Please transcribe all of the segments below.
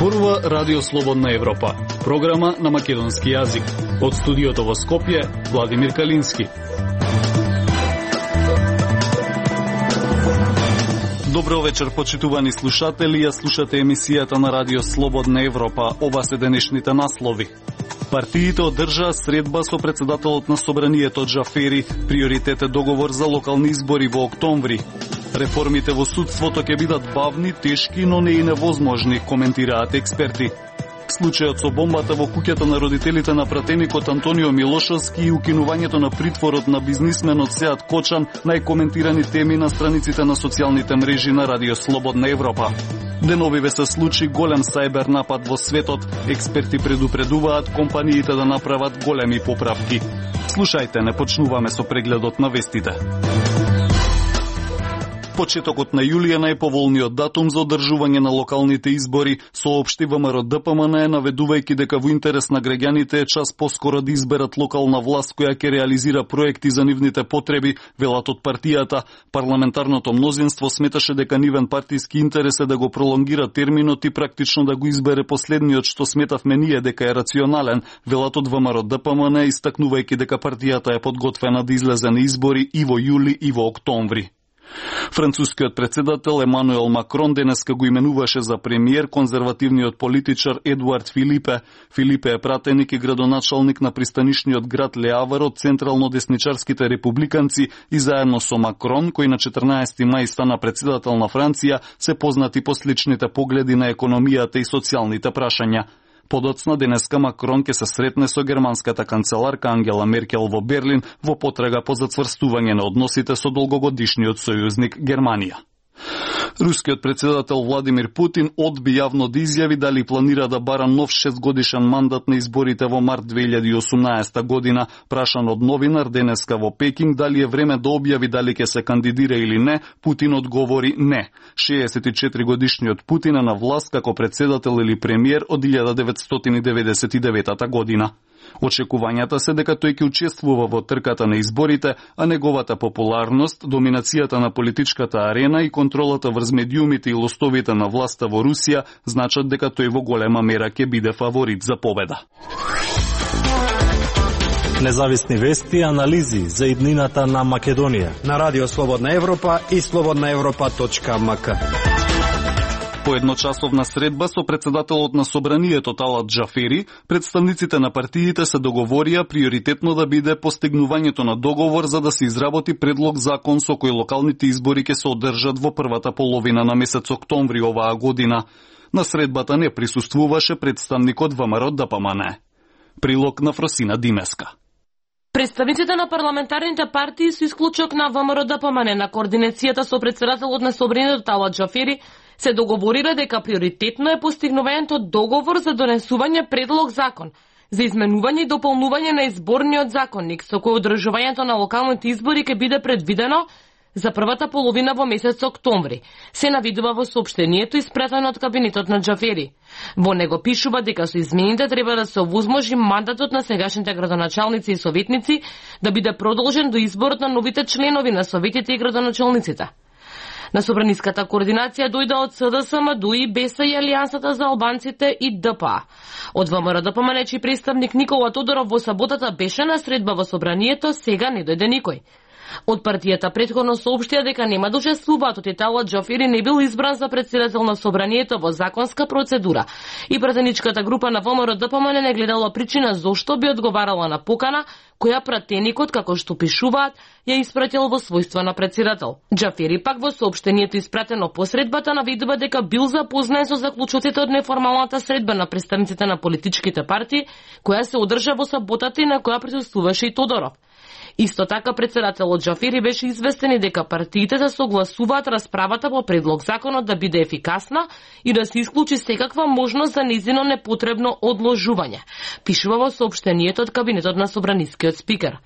зборува Радио Слободна Европа, програма на македонски јазик. Од студиото во Скопје, Владимир Калински. Добро вечер, почитувани слушатели, ја слушате емисијата на Радио Слободна Европа. Ова се денешните наслови. Партиите одржаа средба со председателот на Собранието Џафери, приоритет е договор за локални избори во октомври. Реформите во судството ќе бидат бавни, тешки, но не и невозможни, коментираат експерти. Случајот со бомбата во куќата на родителите на пратеникот Антонио Милошевски и укинувањето на притворот на бизнисменот Сеат Кочан, најкоментирани теми на страниците на социјалните мрежи на Радио Слободна Европа. Деновиве се случи голем сајбер напад во светот. Експерти предупредуваат компаниите да направат големи поправки. Слушајте, не почнуваме со прегледот на вестите. Почетокот на јули е најповолниот датум за одржување на локалните избори, соопшти ВМРО ДПМН, наведувајќи дека во интерес на граѓаните е час поскоро да изберат локална власт која ќе реализира проекти за нивните потреби, велат од партијата. Парламентарното мнозинство сметаше дека нивен партиски интерес е да го пролонгира терминот и практично да го избере последниот што сметавме ние дека е рационален, велат од ВМРО ДПМН, истакнувајќи дека партијата е подготвена да излезе на избори и во јули и во октомври. Францускиот председател Емануел Макрон денеска го именуваше за премиер конзервативниот политичар Едуард Филипе. Филипе е пратеник и градоначалник на пристанишниот град Ле Авар од централно-десничарските републиканци и заедно со Макрон, кој на 14 мај стана председател на Франција, се познати по сличните погледи на економијата и социјалните прашања. Подоцна денеска Макрон ќе се сретне со германската канцеларка Ангела Меркел во Берлин во потрага по зацврстување на односите со долгогодишниот сојузник Германија. Рускиот председател Владимир Путин одби јавно да изјави дали планира да бара нов 6-годишен мандат на изборите во март 2018 година. Прашан од новинар денеска во Пекинг дали е време да објави дали ќе се кандидира или не, Путин одговори не. 64 годишниот Путин е на власт како председател или премиер од 1999 година. Очекувањата се дека тој ќе учествува во трката на изборите, а неговата популарност, доминацијата на политичката арена и контролата врз медиумите и лостовите на власта во Русија значат дека тој во голема мера ќе биде фаворит за победа. Независни вести и анализи за иднината на Македонија на Радио Слободна Европа и slobodnaevropa.mk. По едночасовна средба со председателот на Собранието Талат Џафери, представниците на партиите се договорија приоритетно да биде постигнувањето на договор за да се изработи предлог закон со кој локалните избори ќе се одржат во првата половина на месец октомври оваа година. На средбата не присуствуваше представникот ВМРО ДПМН. Прилог на Фросина Димеска. Представниците на парламентарните партии со исклучок на ВМРО ДПМН на координацијата со председателот на Собранието Талат Џафери се договорира дека приоритетно е постигнувањето договор за донесување предлог закон за изменување и дополнување на изборниот законник со кој одржувањето на локалните избори ќе биде предвидено за првата половина во месец октомври, се навидува во соопштението испратено од кабинетот на Џафери. Во него пишува дека со измените треба да се овозможи мандатот на сегашните градоначалници и советници да биде продолжен до изборот на новите членови на советите и градоначалниците. На собраниската координација дојде од СДСМ, ДУИ, БЕСА и Алијансата за албанците и ДПА. Од ВМРО ДПМН чиј представник Никола Тодоров во саботата беше на средба во собранието, сега не дојде никој. Од партијата претходно соопштија дека нема да учествуваат, од Талат Џафери не бил избран за председател на собранието во законска процедура и пратеничката група на ВМРО ДПМН не гледала причина зошто би одговарала на покана која пратеникот, како што пишуваат, ја испратил во својство на председател. Џафери пак во соопштението испратено по средбата навидува дека бил запознат со заклучоците од неформалната средба на представниците на политичките партии, која се одржа во саботата и на која присуствуваше и Тодоров. Исто така председателот Џафери беше известен и дека партиите се согласуваат расправата по предлог законот да биде ефикасна и да се исклучи секаква можност за нејзино непотребно одложување, пишува во соопштението од кабинетот на собранискиот спикер.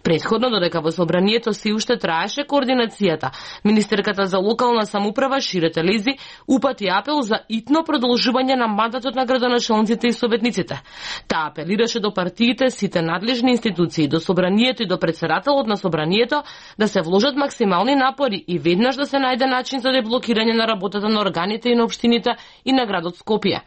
Претходно, додека во собранието се уште траеше координацијата, министерката за локална самоуправа Шире Телези упати апел за итно продолжување на мандатот на градоначалниците и советниците. Таа апелираше до партиите, сите надлежни институции, до собранието и до председателот на собранието да се вложат максимални напори и веднаш да се најде начин за деблокирање на работата на органите и на општините и на градот Скопје.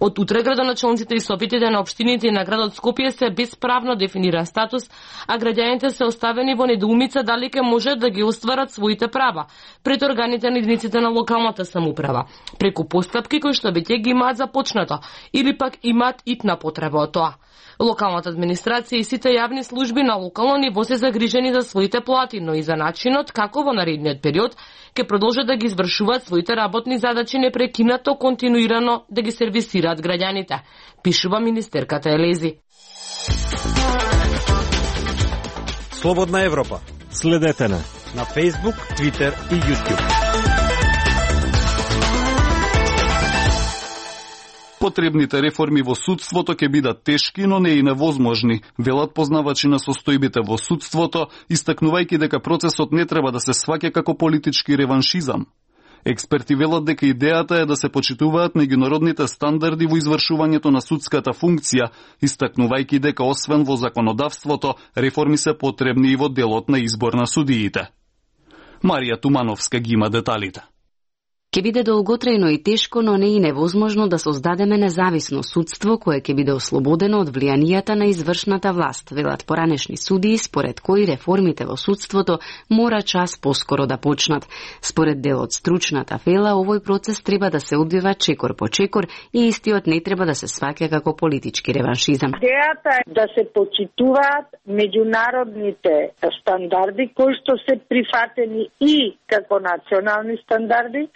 Од утре градоначалниците и советите на општините и на градот Скопје се без правно дефиниран статус, а граѓаните се оставени во недоумица дали ќе можат да ги остварат своите права пред органите на единиците на локалната самоуправа, преку постапки кои што веќе ги имаат започнато или пак имаат итна потреба од тоа. Локалната администрација и сите јавни служби на локално ниво се загрижени за своите плати, но и за начинот како во наредниот период ќе продолжат да ги извршуваат своите работни задачи непрекинато, континуирано да ги сервисираат граѓаните, пишува министерката Елези. Слободна Европа. Следете на Facebook, Twitter и YouTube. Потребните реформи во судството ќе бидат тешки, но не и невозможни, велат познавачи на состојбите во судството, истакнувајќи дека процесот не треба да се сваќа како политички реваншизам. Експерти велат дека идејата е да се почитуваат меѓународните стандарди во извршувањето на судската функција, истакнувајќи дека освен во законодавството, реформи се потребни и во делот на избор на судиите. Марија Тумановска ги има деталите. Ке биде долготрајно и тешко, но не и невозможно да создадеме независно судство кое ќе биде ослободено од влијанијата на извршната власт, велат поранешни судии, според кои реформите во судството мора час поскоро да почнат. Според дел од стручната вела, овој процес треба да се одвива чекор по чекор и истиот не треба да се сваќа како политички реваншизам. Идејата е да се почитуваат меѓународните стандарди кои што се прифатени и како национални стандарди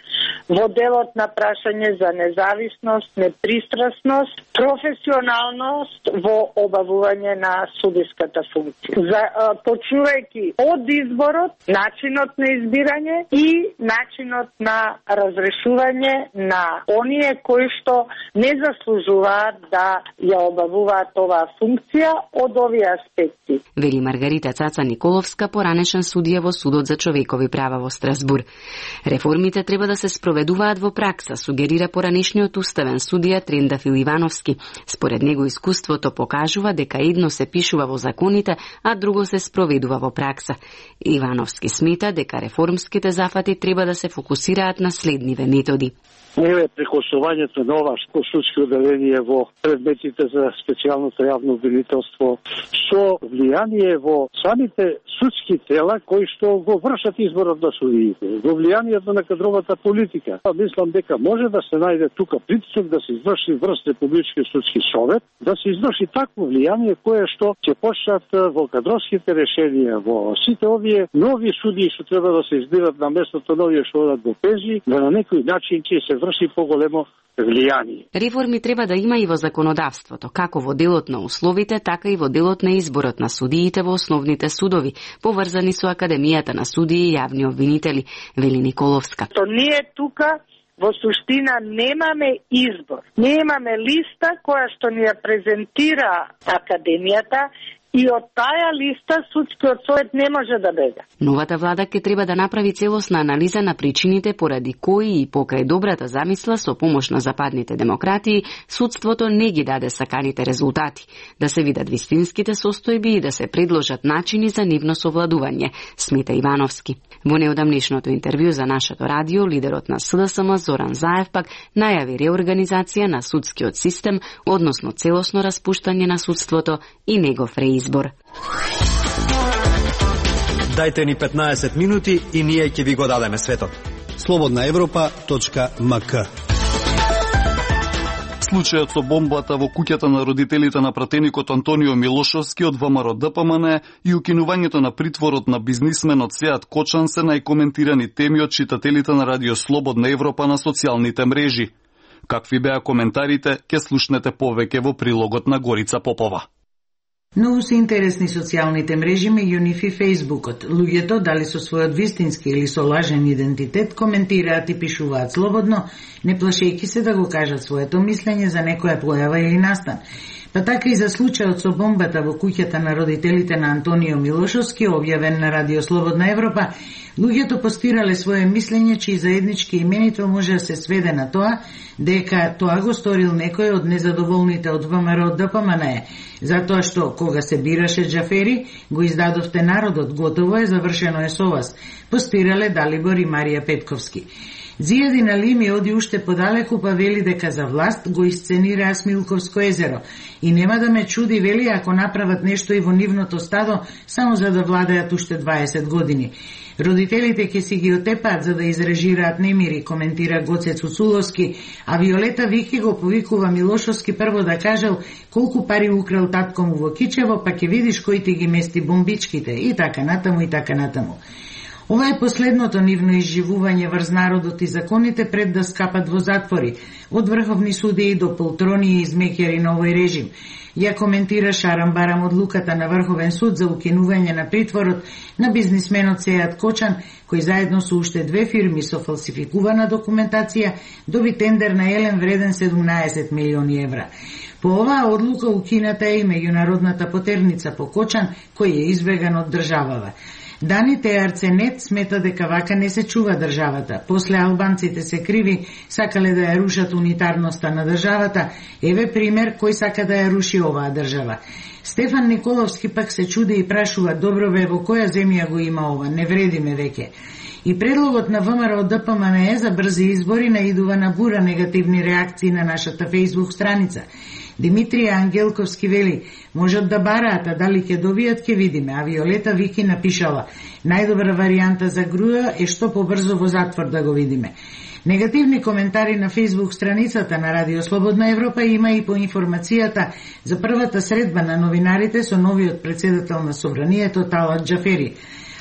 во делот на прашање за независност, непристрасност, професионалност во обавување на судиската функција. Почнувајќи од изборот, начинот на избирање и начинот на разрешување на оние кои што не заслужуваат да ја обавуваат оваа функција од овие аспекти. Вели Маргарита Цаца Николовска, поранешен судија во Судот за човекови права во Страсбур. Реформите треба да се спроведуваат во пракса, сугерира поранешниот уставен судија Трендафил Ивановски. Според него искуството покажува дека едно се пишува во законите, а друго се спроведува во пракса. Ивановски смета дека реформските зафати треба да се фокусираат на следниве методи. Еве прекосувањето на ова судски одделение во предметите за специјалното јавно обвинителство со влијание во самите судски тела кои што го вршат изборот на судиите, во влијанието на кадровата политика. Мислам дека може да се најде тука притисок да се изврши врз Републички судски совет, да се изврши такво влијание кое што ќе почнат во кадровските решенија, во сите овие нови судии што треба да се избират на местото на овие што одат во пензии, да на некој начин ќе се врши поголемо влијание. Реформи треба да има и во законодавството, како во делот на условите, така и во делот на изборот на судиите во основните судови, поврзани со Академијата на судии и јавни обвинители, вели Николовска. То ние тука во суштина немаме избор. Немаме листа која што ни ја презентира Академијата, и од таа листа судскиот совет не може да бега. Новата влада ќе треба да направи целосна анализа на причините поради кои и покрај добрата замисла со помош на западните демократии, судството не ги даде саканите резултати, да се видат вистинските состојби и да се предложат начини за нивно совладување, смета Ивановски. Во неодамнешното интервју за нашето радио, лидерот на СДСМ Зоран Заев пак најави реорганизација на судскиот систем, односно целосно распуштање на судството и негов избор. Дајте ни 15 минути и ние ќе ви го дадеме светот. slobodnaevropa.mk. Случајот со бомбата во куќата на родителите на пратеникот Антонио Милошовски од ВМРО ДПМН и укинувањето на притворот на бизнисменот Сеат Кочан се најкоментирани теми од читателите на Радио Слободна Европа на социјалните мрежи. Какви беа коментарите, ќе слушнете повеќе во прилогот на Горица Попова. Многу се интересни социјалните мрежи меѓу нив и Фејсбукот. Луѓето, дали со својот вистински или со лажен идентитет, коментираат и пишуваат слободно, не плашејќи се да го кажат своето мислење за некоја појава или настан. Па така и за случајот со бомбата во куќата на родителите на Антонио Милошовски, објавен на Радио Слободна Европа, луѓето постирале свое мислење, чии заеднички именител може да се сведе на тоа дека тоа го сторил некој од незадоволните од ВМРО ДПМН, затоа што кога се бираше Џафери, го издадовте народот, готово е, завршено е со вас, постирале Далибор и Марија Петковски. Зијадин Алими оди уште подалеку, па вели дека за власт го исценираа Смилковско езеро и нема да ме чуди, вели, ако направат нешто и во нивното стадо само за да владеат уште 20 години. Родителите ќе си ги отепаат за да изрежираат немири, коментира Гоце Цуцуловски, а Виолета Вики го повикува Милошовски прво да кажел колку пари украл татко му во Кичево, па ќе видиш кој ти ги мести бомбичките, и така натаму, и така натаму. Ова е последното нивно изживување врз народот и законите пред да скапат во затвори, од врховни судии до полтрони и измеќари на овој режим. Ја коментира Шарам Барам одлуката на Врховен суд за укинување на притворот на бизнисменот Сејат Кочан, кој заедно со уште 2 фирми со фалсификувана документација доби тендер на Елен вреден 17 милиони евра. По оваа одлука укината е и меѓународната потерница по Кочан, кој е избеган од државава. Даните Арценет смета дека вака не се чува државата. После албанците се криви, сакале да ја рушат унитарноста на државата. Еве пример кој сака да ја руши оваа држава. Стефан Николовски пак се чуди и прашува: добро бе, во која земја го има ова, не вредиме веќе. И предлогот на ВМРО ДПМНЕ за брзи избори наидува на бура негативни реакции на нашата Facebook страница. Димитрија Ангелковски вели: можат да бараат, а дали ќе добијат ќе видиме, а Виолета Вики напишала: најдобра варијанта за Груја е што побрзо во затвор да го видиме. Негативни коментари на Facebook страницата на Радио Слободна Европа има и по информацијата за првата средба на новинарите со новиот председател на Собранието Талат Џафери.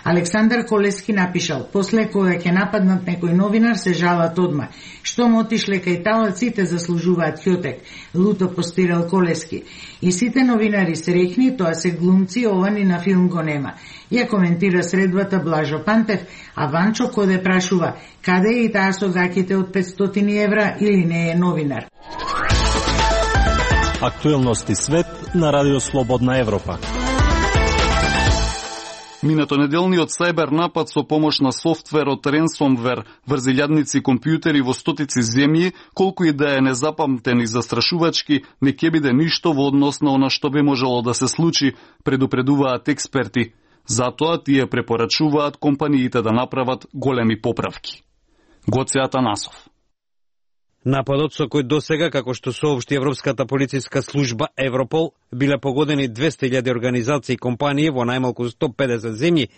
Александар Колески напишал: после кога ќе нападнат некој новинар се жалат одма. Што му отишле кај Талат, сите заслужуваат љотек, луто постирал Колески. И сите новинари среќни, тоа се глумци, ова ни на филм го нема. Ја коментира средбата Блажо Пантев, а Ванчо Коде прашува: каде е и таа со гаките од 500 евра или не е новинар? Актуелности свет на Радио Слободна Европа. Минато неделниот сајбер напад со помош на софтверот Ransomware врз илјадници компјутери во стотици земји, колку и да е незапамтен и застрашувачки, не ќе биде ништо во однос на она што би можело да се случи, предупредуваат експерти. Затоа тие препорачуваат компаниите да направат големи поправки. Гоце Атанасов. Нападот со кој досега, како што соопшти Европската полициска служба Европол, биле погодени 200.000 организации и компании во најмалку 150 земји,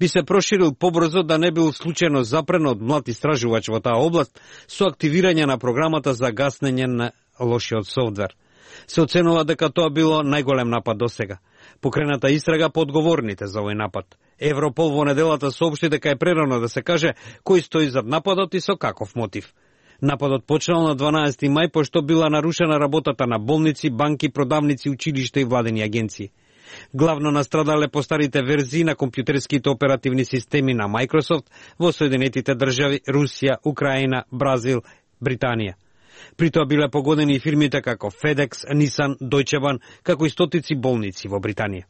би се проширил побрзо да не бил случајно запрен од млад истражувач во таа област со активирање на програмата за гаснење на лошиот софтвер. Се оценува дека тоа било најголем напад досега. Покрената истрага по одговорните за овој напад. Европол во неделата соопшти дека е прерано да се каже кој стои зад нападот и со каков мотив. Нападот почнал на 12 мај, пошто била нарушена работата на болници, банки, продавници, училишта и владени агенции. Главно настрадале постарите верзии на компјутерските оперативни системи на Microsoft во Соединетите држави, Русија, Украина, Бразил, Британија. При тоа биле погодени и фирмите како FedEx, Nissan, Deutsche Bahn, како и стотици болници во Британија.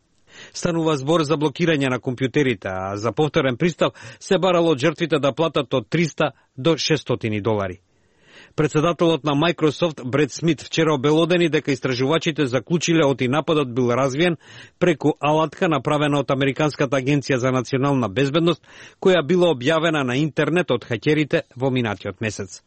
Станува збор за блокирање на компјутерите, а за повторен пристап се барало од жртвите да платат од $300 до $600. Председателот на Microsoft Бред Смит вчера обелодени дека истражувачите заклучиле оти нападот бил развиен преку алатка направена од Американската агенција за национална безбедност, која била објавена на интернет од хакерите во минатиот месец.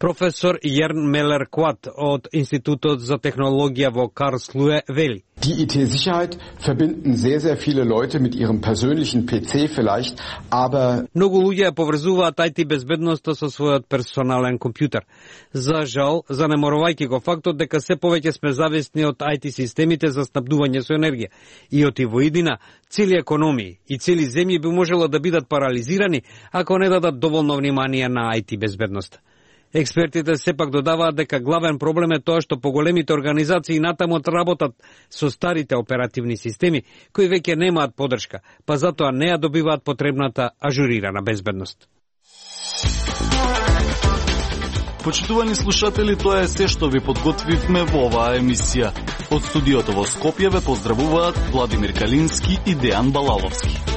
Професор Јерн Мелер Кват од Институтот за технологија во Карлслуе вели: Die IT-Sicherheit verbinden sehr viele Leute mit ihrem persönlichen PC vielleicht, aber многу луѓе ја поврзуваат IT безбедноста со својот персонален компјутер. За жал, занеморувајќи го фактот дека се повеќе сме зависни од IT системите за снабдување со енергија и оти во иднина, цели економии и цели земји би можело да бидат парализирани ако не дадат доволно внимание на IT безбедноста. Експертите сепак додаваат дека главен проблем е тоа што поголемите организации натаму работат со старите оперативни системи, кои веќе немаат поддршка, па затоа не ја добиваат потребната ажурирана безбедност. Почитувани слушатели, тоа е се што ви подготвивме во оваа емисија. Од студиото во Скопје ве поздравуваат Владимир Калински и Дејан Балаловски.